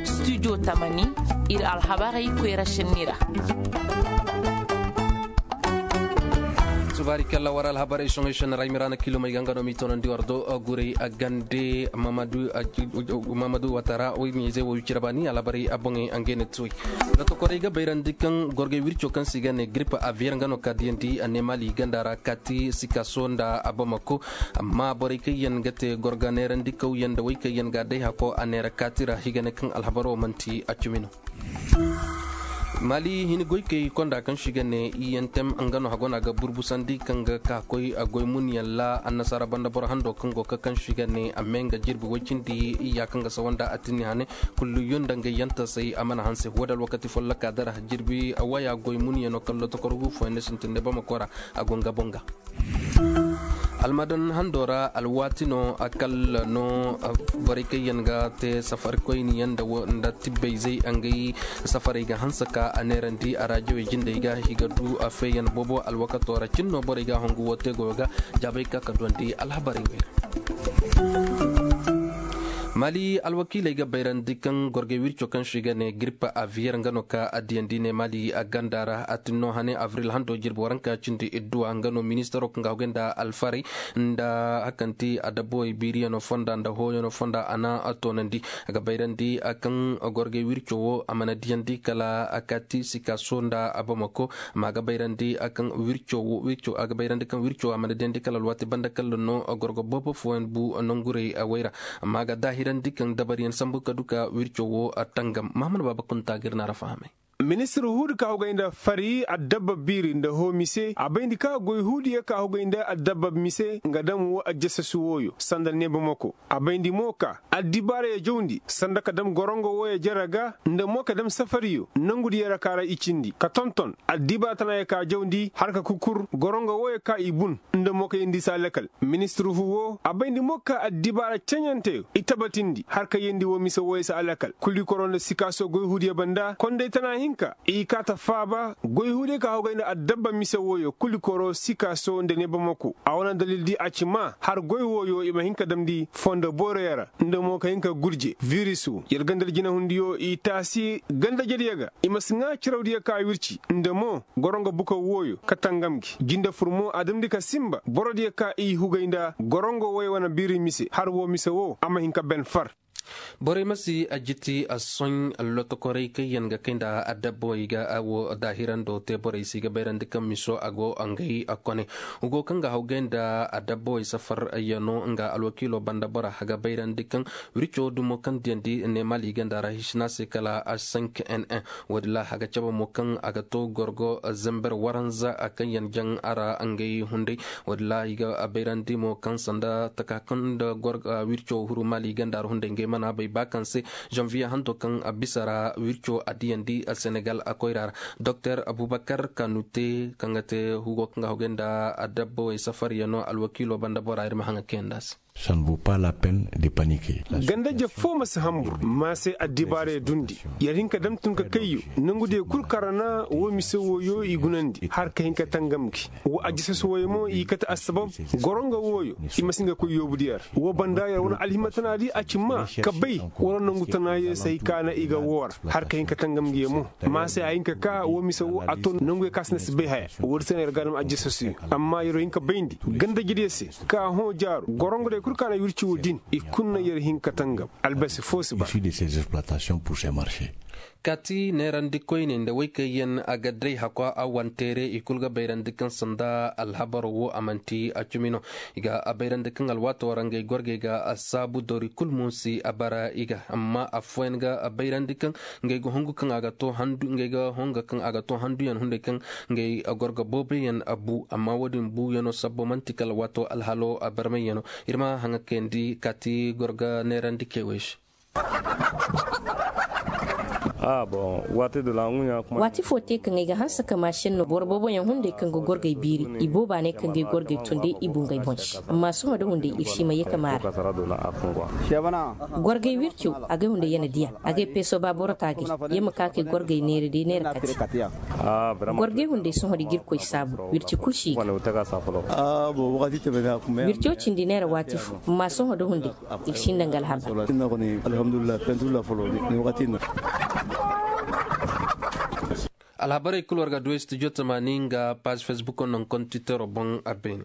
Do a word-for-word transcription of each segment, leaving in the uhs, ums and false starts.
Studio tamani, ir alhabarey koyra šenni ra. Subaari kalla war alhabarey soŋey šenni ra ay miraana kilomey ga nga no m'i toonandi war do. Gurey a gande mamadu watara woy ɲayzey wo wicira baani alhabarey a boŋey a ngey na ti woy. Lotokorey ga bayrandi kaŋ gorgey wirco kaŋ se i ga ne grippe aviyeer nga no ka diyandi a ne maali ganda ra kaati sikaso nda abamako. Amma borey kaŋ yaŋ ga te gorga neerandi kawyaŋ nda wey kaŋ yaŋ ga a day hako a neera kaati ra i ga ne kaŋ alhabaro manti a cumi no. Maali hini goykey konda kaŋ se i ga ne iyentem nga no hago no a ga burbusandi kaŋ ga ka koy goy munyaŋ ra annasaara banda boro hando kaŋ go ga kaŋ se i ga ne a mee nga jirbi woy cindi iyya kaŋ ga sawa nda a tinni hane. Kullu yunda nga yantasey a mana hanse wo da alwakati folloka dara jirbi waya goy munyaŋo kaŋ lotokor gu fooyaŋ ne sintin ne bamako ra. A go nga boŋ ga almadan hando ra alwaati no a kalla no. Borey kaŋ yaŋ ga te safarkoyni yaŋ nda tibbey zey a ngay safarey ga hanse ka a neerandi a raajawey jindey ga i ga du a feeyaŋ boobo alwakato ra cin no borey ga a hongu wo te goyo ga. Jaabey ka ka duwandi alhabarey wey ra. Maali alwakiiley ga bayrandi kaŋ gorgey wirco kaŋ se i ga ne giripa aviyeer nga no ka addiyandi ne maali a ganda ra a tin no hane avril hando jirbi waranka cindi idduwa nga no ministaro kaŋ ga hogay nda alfarey nda hakanti adabbowey biiriyaŋo fonda nda hooyaŋo fonda a na a toonandi. A ga bayrandi kaŋ gorgey wirco wo a mana diyandi kala a kaati sikaso nda abamako. Amma a ga bayrandi kaŋ wirco wo a ga bayrandi kaŋ wirco a mana diyandi kala alwaati banda kala no gorgo boobo fooyaŋ bu nangurey a wayra. Amma a ga daahirandi kaŋ dabariyaŋ sambu ka du ka wirco wo a tangam mahamad baaba kunta ga ir na ra fahamay. Ministir huudi ka hogay nda fari addabba biiri nda hoomise a bayndi ka goy huudiyo ka hogay nda addabba mise nga dam wo ajjasasu wooyo sanda neebamako. A bayndi mo ka addibaaraya jawndi sanda ka dam gorongo wooyo jere ga nda mo ka dam safariyo nangudiyo ra ka ra i cindi ka tonton addibaara tanaaya ka jawndi har ka kukur gorongo wooyo ka i bun nda mo ka yeendi se alakal. Ministir huu woo a bayndi mo ka addibaara ceɲanteyo i tabatindi har ka yeendi woo mise wooyo se alakal kulikoro nda sikaaso goy huudiyo banda konday tana hinka i kaa ta faaba goy huudiyo ka hogay nda addabba mise wooyo kulikoro sikaaso nda neebamako a wane dalil di a ci maa har goy wooyo i ma hin ka damndi fondo booroyo ra nda mo ka hin ka gurje viris woo yer ganda jinahundiyo i taasi ganda jediyo ga i ma si ŋaa cirawdiyo ka wirci nda mo gorongo bukaw wooyo ka tangam gi jinde fur mo a damndi ka sinba borodiyo ka i hugay nda gorongo wooyo wane biiri mise har woo mise woo a ma hin ka ben far. Borey ma si a jiti a soɲ lotokorey kaŋ yaŋ ga kay nda adabba wey ga a wo daahirando te borey se i ga bayrandi kaŋ miso a go ngey a kone. Hugo kaŋ ga hawgay nda adabba wey safar yaŋo nga alwakiilo banda bora a ga bayrandi kaŋ wirco dumo kaŋ diyandi ne maali ganda ra hisina se kala a sank n n. Woodin ra a ga cabe mo kaŋ a ga to gorgo zember waranza kaŋ yaŋ jaŋ a ra ngey hunday. Woodin ra i ga bayrandi mo kaŋ sanda taka kaŋ nda wirco huru maali ganda ra hunday ngey mana bay ba kaŋ se janviye hanto kaŋ a bisa ra wirco a diyandi senegal a koyra ra. Doktor abubakar kanute kaŋ ga te hugo kaŋ ga hogay nda adabba wey safar yaŋo alwakiilo banda bora ir ma haŋa kayanda se. Ganda je foo ma si hanbur ma se addibaarey dundi. Yer hin ka dam tun ka kayyo nangu diyo kul kaŋ ra na woo mise wooyo i gunandi har ka hin ka tangam gi. Woo ajjasas wooyo mo i kate assabab gorongo wooyo i ma si hin ka koy yoobu diyo ra woo banda yer wane alhima tana di a ci maa ka bay wala nangu tana ye se hay ka na i ga woo ra har ka hin ka tangam gi ye mo. Ma se a hin ka ka woo mise woo a to nangu ye ka si na si bay haya. Woodi se no yer ga a dam ajjasas yo amma yer wo hin ka bayndi ganda jediyo se ka hõ jaaru gorongo diyo kul ka na wirci woo din i kul na yer hin ka tangam. Albasi foo si ba. Kaati neerandi koyne nda woy kaŋ yaŋ a ga day hakwa a wanteere i kul ga bayrandi kaŋ sanda alhabaro wo a manti a cumi no. I ga a bayrandi kaŋ alwaato ra ngey gorgey ga a saabu dori kul mo si a bara i ga amma affooyaŋ ga a bayrandi kaŋ ngey ga hongu kaŋ a ga to handu ngey ga honga kaŋ a ga to handuyaŋ hunday kaŋ ngey gorga booboyaŋ a bu amma woodin buuyaŋo sabbo man'ti kala waato alhalo a barmayyaŋo. Ir ma haŋa kayandi kaati gorga neerandi kewey se. Waati fo te kaŋ ay ga hanse ka maa šenno boro booboyaŋ hunday kaŋ ga gorgay biiri i booba ne kaŋ ga ay gorgay tunday i bungay boŋ se. Amma sohõ da hunday ir si ma ye ka maara. Gorgay wirco, agay hunday ya na diya, agay peeso ba boro taagay. Ya ma ka kay gorgay neera day neera kati. Gorgay hunday sohõ da ga ir koy saabu wirci kul si ga. Wirco cindi neera waati fo, amma sohõ da hunday ir si nda nga alhabar. Alhabarey kul war ga du studio tamaani nga paazi facebook no nga kontitero boŋ a beene.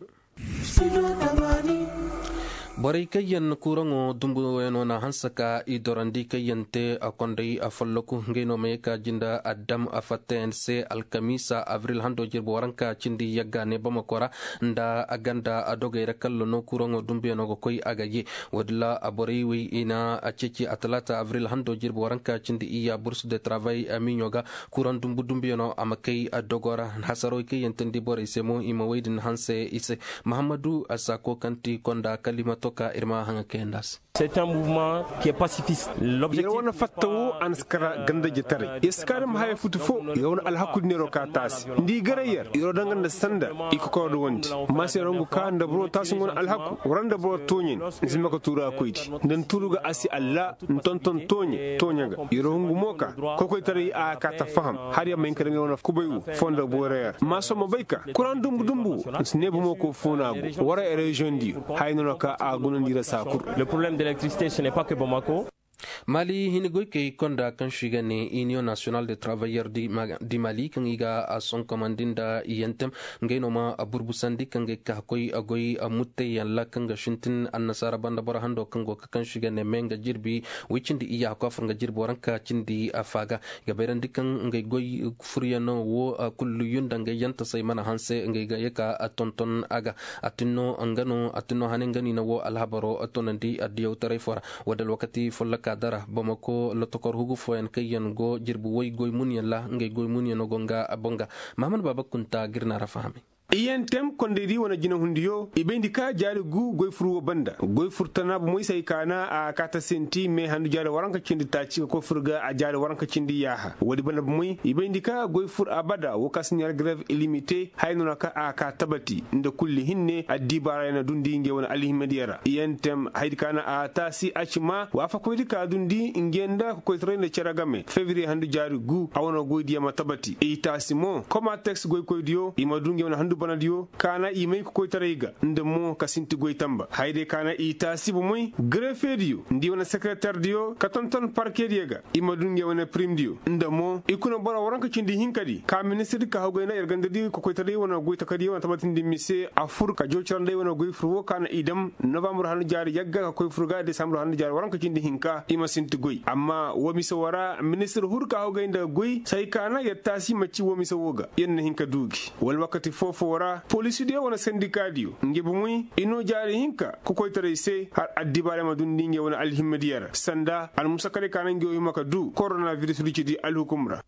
Borey kaŋ yaŋ kuuraŋo dumbuyaŋo na hanse ka i dorandi kaŋ yaŋ te a konday a folloku ngey no ma ye ka jinde addam a fattayaŋ se alkamiisa abril hando jirbi waranka cindi yagga ne bamako ra nda a ganda a dogey ra kalla no kuuraŋo dumbuyaŋo ga koy a ga ye. Woodin ra borey wey i na a ceeci a talaata abril hando jirbi waranka cindi iyya bursu de travay miɲo ga. Kuraŋ dumbu dumbuyaŋo a ma kay a dogo ra. Hasaroo kaŋ yaŋ teendi borey se mo i ma wey din hanse i se. Mahammadu a saako kaŋ ti konda kalimato ka ir ma haŋa kayandi a se. Yer wane fatta wo a na si kara ganda jetaray yer si kaari ma haya futu fo. Yer wane alhaku din yer wo ka taasi nda i garay yer yer wo danga nda sanda. I kokoro da wandi. Maasa yer wo ngu ka nda boro taasi ngu wane alhaku wara nda boro tooɲe ni zama ka tuuru a koydi. Nda ni tuuru ga a si alla ni tonton tooɲe tooɲe ga. Yer wo ngu mo ka kokoytaray a ka ta faham. Har yer ma hin ka daŋ yer wane kubay wo foo nda boyra yer maasa wo ma bay ka kuraŋ dumbu dumbu wo ni si ne bomo ko foo no a go wara yer reziyoŋ diyo. Haya no no ka a gunandi ra saa kul. Maali hini goykey konda kaŋ se i ga ne iniyoŋ nasiyonal de travayyer di mali kaŋ i ga a sonkomandi nda iyantem. Ngey no ma burbusandi kaŋ ga ay ka koy a goy muttayyaŋ ra kaŋ ga sintin annasaara banda boro hando kaŋ go ga kaŋ se i ga ne me nga jirbi. Way cindi iyya hakko a fur nga jirbi waranka cindi a faaga. I ga bayrandi kaŋ ngey goy furyaŋo wo kulu yunda ngey yantasey mana hanse ngey ga ye ka tonton a ga. A tin no nga no a tin no hane nga no i na wo alhabaro tonandi addiyawtaray foo ra. Wala alwakati folloka dara bamako lotokor hugu fooyaŋ kaŋ yaŋ go jirbi way goy munyaŋ ra ngey goy munyaŋo go nga boŋ ga. Mahamad baaba kunta ga ir na ra fahamay. Iyantem kondaydi wane jinehundiyo i bayndi ka jaari gu goy fur wo banda goy fur tana bomey se ay kaana a kaata sinti me handu jaari waranka cindi taaci ka koy fur ga a jaari waranka cindi yaaha woodi banda bomey i bayndi ka goy fur abada wo ka si ɲaari garev ilimite haya no na ka a ka tabati nda kulli hinne addibaara ya na dundi ngey wane alhimadiya ra iyantem hayadi ka na a taasi a ci maa waafakoydi ka dundi ngey nda kokoytaray nda cere game febriye handu jaari gu a wane goydiyo ma tabati i taasi mo komateks goykoydiyo i ma du ngey wane handu banadiyo ka na i may kokoytaray ga nda mo ka sinti goy tamba hayadiyo ka na i taasi bomey garefediyo nda i wane sekereterdiyo ka tonton parkediyo ga i ma du ngey wane pirimdiyo nda mo i kuna boro waranka cindi hinkadi ka ministirdi ka hawgay nda yer gandadi kokoytaray wane goy takadiyo wane tabatindi mise a fur ka joocirandi ay wane goy fur wo ka na i dam novambur handu jaari yagga ka koy fur ga desambur handu jaari waranka cindi hinka i ma sinti goy amma woo mise woo ra ministir hur ka hawgay nda goy se ay kaana yer taasi ma ci woo mise woo ga yer na hin ka du gi wala wakati foo-foo ra polisidiyo wane sendikadiyo nge bomey i noo jaari hinka kokoytaray se har addibaarey ma dundi nge wane alhimmadiyo ra sanda almusakaley ka na nge wo hima ka du koronaviris du cidi alhukum ra.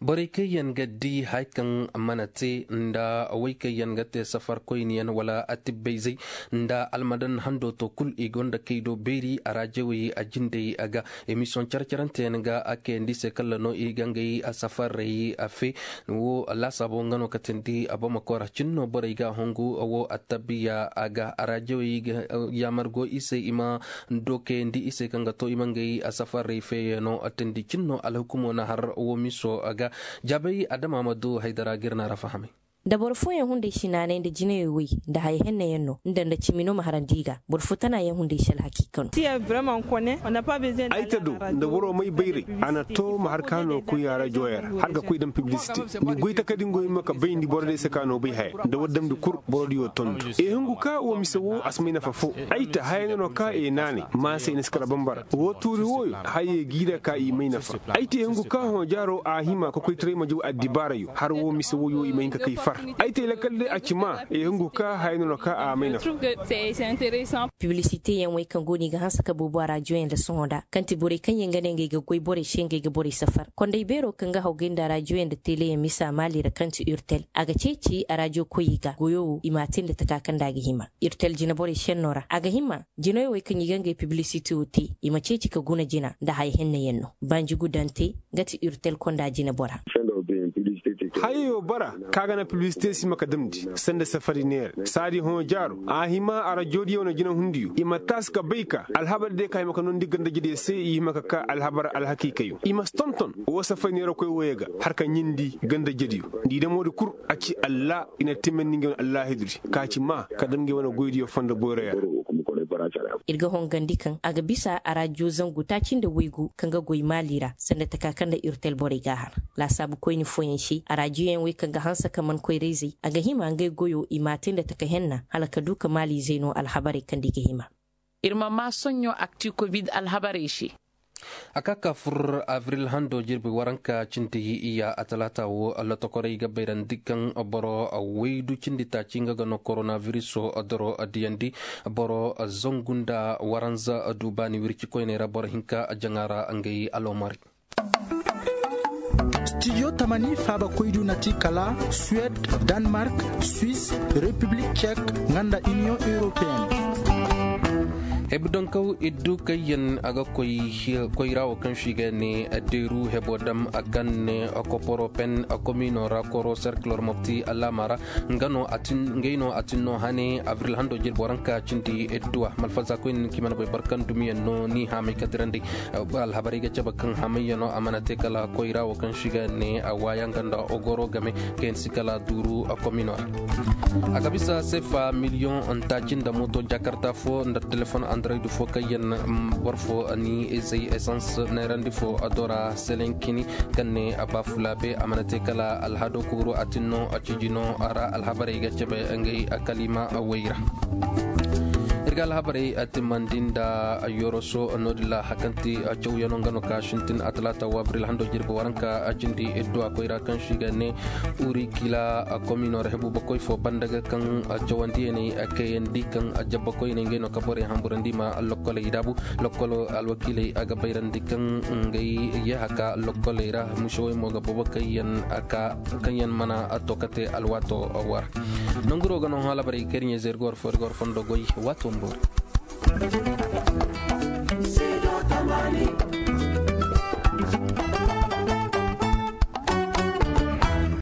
Borey kaŋ yaŋ ga di haya kaŋ mana te nda wey kaŋ yaŋ ga te safarkoyniyaŋ wala atibbayzey nda almadan hando to kul i gonda kay do beeri a raajawey a jindey a ga. Emisiyoŋ care-caranteyaŋ ga a kayandi se kala no i ga ngey safarey a fe. Wo laasaabo nga no ka tindi a bamako ra cin no borey ga a hongu wo attabiya a ga a raajawey ga yaamar go i se i ma dookayandi i se kaŋ ga to i ma ngey safarey feeyaŋo tindi cin no alhukumo na har wo miso a ga. Jaabay adama ma du haydara ga ir na ra fahamay. Da boro fooyaŋ hunday si naanay nda jinayey woy nda haya henneyaŋ no nda nda cimi no ma harandi i ga boro fo tana yaŋ hunday si alhakiika no. Ay ta do nda boro may bayray a na to ma har ka no koy a rajo yaŋ ra har ga koy daŋ piblisite ni goy takadi ngo hima ka bayndi boro day se ka no bay haya nda war damndi kul boro diyo tondu. E hungu ka wo mise wo a si may nafa fo. Ay ta haya no no ka e naanay maasey ni si kala bambara wo tuuri wooyo hayey g'i ra ka i may nafa. Ay te hungu ka hõ jaaro a hima ka koytaray ma jaw addibaarayo har wo mise woyo i ma hin ka kay fa. Ay te lakal day a ci maa i hungu ka haya no na ka a may nafa. Piblisite yaŋ wey kaŋ go no i ga hanse ka boobo a raadiyo yaŋ nda sohõ nda kaŋ ti borey kaŋ yaŋ ga ne ngey ga goy borey se ngey ga borey safar konday beero kaŋ ga hawgay nda a raadiyo yaŋ nda tele yaŋ misa maali ra kaŋ ti urtel a ga ceeci a raadiyo koyey ga goyo wo i m'a te nda taka kaŋ nda a ga hima. Urtel jinaborey senno ra a ga hima jinayo wey kaŋ i ga ngey piblisite wo te i ma ceeci ka guna jina nda haya henna yaŋ no banji gudante. Nga ti urtel konda jinabora. Hayey wo bara ka ga na piblisite si hima ka damndi sanda safari neera saadi hõ jaaro a hima arajoodiyo na jinahundiyo i ma taasi ka bay ka alhabar diyo ka hima ka noondi gandajediyo se i hima ka ka alhabar alhakiikayo i ma si tonton. Woo safari neerakoy wooyey ga har ka ɲindi gandajediyo nda i damoodi kul a ci allah i na timandi ngey wane allahidudi ka ci maa ka dam ngey wane goydiyo fondo boyroya. Ir ga hongandi kaŋ a ga bisa arajiyo zangu taaci nda waygu kaŋ ga goy maali ra sanda taka kaŋ nda urtel borey g'a har laasaabu koyne fooyaŋ se arajiyoyaŋ wey kaŋ ga hanse ka man koyra-izey a ga hima ngey goyo i m'a te nda taka henna hala ka du ka maali-izey no alhabarey kaŋ nda i ga hima. Ir ma maa soɲɲo akti kovid alhabarey se. A ka ka fur abril hando jirbi waranka cindi iya a talaata wo lotokorey ga bayrandi kaŋ boro waydu cindi taaci nga ga no koronabiriso doro diyandi boro zangu nda waranza duubaani wirci koyney ra boro hinka jaŋa ra ngey aloomari. Studio tamani faabakoydu na ti kala suwed, danmark, swis, repiblik cek, nga nda iniyoŋ europeen. Hebu donkaw iddu kaŋ yaŋ a ga koy koyra wo kaŋ se i ga ne deeru hebo dam a kaŋ ne koporopen komino ra koro serkilor mopti alaama ra. Ngey no a tin no hane abril hando jirbi waranka cindi idduwa malfaza koyne ni ka i mana bay boro kaŋ dumiyaŋ no ni haamay ka dirandi. Alhabarey ga cabe kaŋ hamayyaŋo a mana te kala koyra wo kaŋ se i ga ne a waaya nga nda ogoro game kaŋ yaŋ si kala duuru komino ra. A ga bisa seefa miliyoŋ taaci nda mooto jakarta fo nda telefoŋ andaroydi fo kaŋ yaŋ boro fo ni izey esans neerandi fo do ra selenkini kaŋ ne a baafulaabe a mana te kala alhado kuuru a tin no a ciji no a ra alhabarey ga cabe ngey kalima way ra. Ir ga alhabarey timmandi nda yoroso no-din ra hakanti cawyaŋo nga no ka sintin a talaata wo abril hando jirbi waranka cindi idduwa koyra kaŋ se i ga ne urikila komino ra hebu bakoy fo banda ga kaŋ cawandiyaney kayandi kaŋ jabba koyney ngey no ka borey hamburandi ma lokkoley daabu. Lokkolo alwakiiley a ga bayrandi kaŋ ngey yee haka lokkoley ra musewey mo ga boobo kaŋ yaŋ mana to ka te alwaato war. Nanguro ga no hõ alhabarey kaŋ ir ɲayze ir ga war fo ir ga war fondo goy waato ma boori.